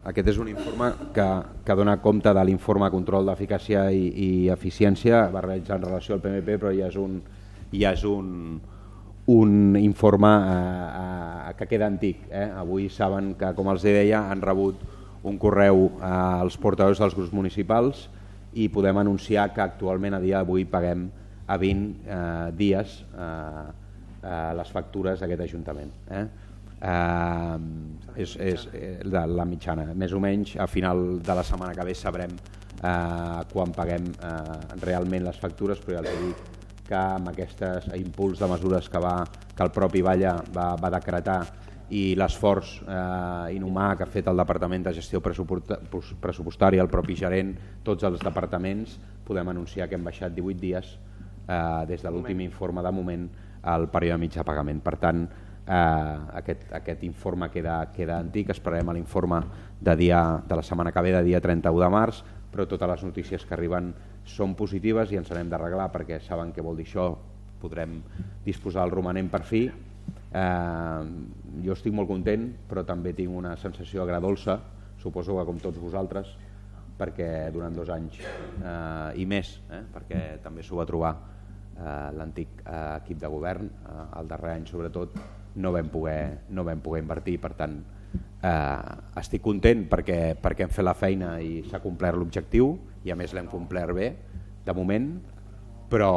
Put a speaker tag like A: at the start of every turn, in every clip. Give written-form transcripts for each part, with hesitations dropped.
A: Aquest és un informe que dona compte de l'informe control d'eficàcia i eficiència, va realitzar en relació al PMP, però ja és un informe que queda antic. Avui saben que, com els deia, han rebut un correu als portaveus dels grups municipals i podem anunciar que actualment a dia d'avui paguem a 20 dies les factures d'aquest Ajuntament. És la mitjana. Més o menys a final de la setmana que ve sabrem quan paguem realment les factures, però ja els dic que amb aquest impuls de mesures que el propi Valla va decretar i l'esforç inhumà que ha fet el Departament de Gestió Pressupostària, el propi gerent, tots els departaments, podem anunciar que hem baixat 18 dies des de l'últim informe de moment al període mig de pagament. Per tant, aquest informe queda antic, esperarem l'informe de la setmana que ve, de dia 31 de març, però totes les notícies que arriben són positives i ens n'hem d'arreglar perquè saben què vol dir això, podrem disposar del romanent per fi. Jo estic molt content, però també tinc una sensació agredolça, suposo que com tots vosaltres, perquè durant 2 anys i més, perquè també s'ho va trobar l'antic equip de govern, el darrer any sobretot, no vam poder invertir. Per tant, estic content perquè hem fet la feina i s'ha complert l'objectiu i a més l'hem complert bé de moment, però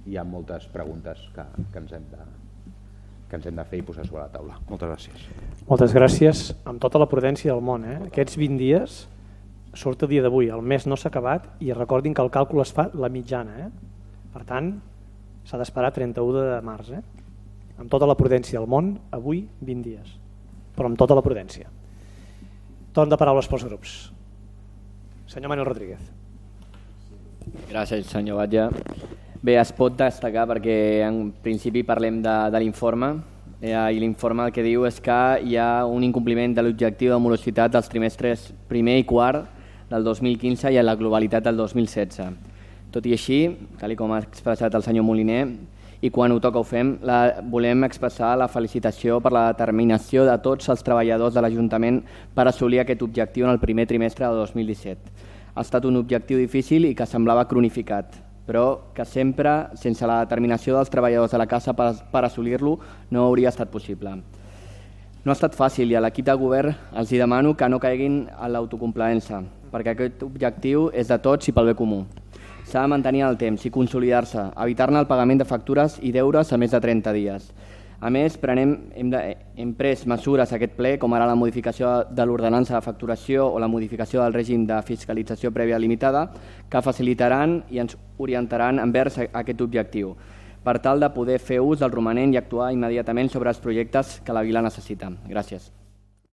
A: hi ha moltes preguntes que ens hem de fer i posar sobre la taula. Moltes gràcies.
B: Moltes gràcies, amb tota la prudència del món. Aquests 20 dies surt el dia d'avui, el mes no s'ha acabat i recordin que el càlcul es fa la mitjana. Per tant, s'ha d'esperar 31 de març. Amb tota la prudència del món, avui 20 dies, però amb tota la prudència. Torn de paraules pels grups. Senyor Manuel Rodríguez.
C: Gràcies, senyor Batlle. Bé, es pot destacar perquè en principi parlem de l'informe i l'informe el que diu és que hi ha un incompliment de l'objectiu de morositat dels trimestres primer i quart del 2015 i a la globalitat del 2016. Tot i així, tal com ha expressat el senyor Moliner, i quan ho toca ho fem, volem expressar la felicitació per la determinació de tots els treballadors de l'Ajuntament per assolir aquest objectiu en el primer trimestre de 2017. Ha estat un objectiu difícil i que semblava cronificat, però que sempre, sense la determinació dels treballadors de la casa per assolir-lo, no hauria estat possible. No ha estat fàcil i a l'equip de govern els demano que no caiguin en l'autocomplaença, perquè aquest objectiu és de tots i pel bé comú. S'ha de mantenir el temps i consolidar-se, evitar-ne el pagament de factures i deures a més de 30 dies. A més, hem pres mesures a aquest ple, com ara la modificació de l'ordenança de facturació o la modificació del règim de fiscalització prèvia limitada, que facilitaran i ens orientaran envers aquest objectiu, per tal de poder fer ús del romanent i actuar immediatament sobre els projectes que la vila necessita. Gràcies.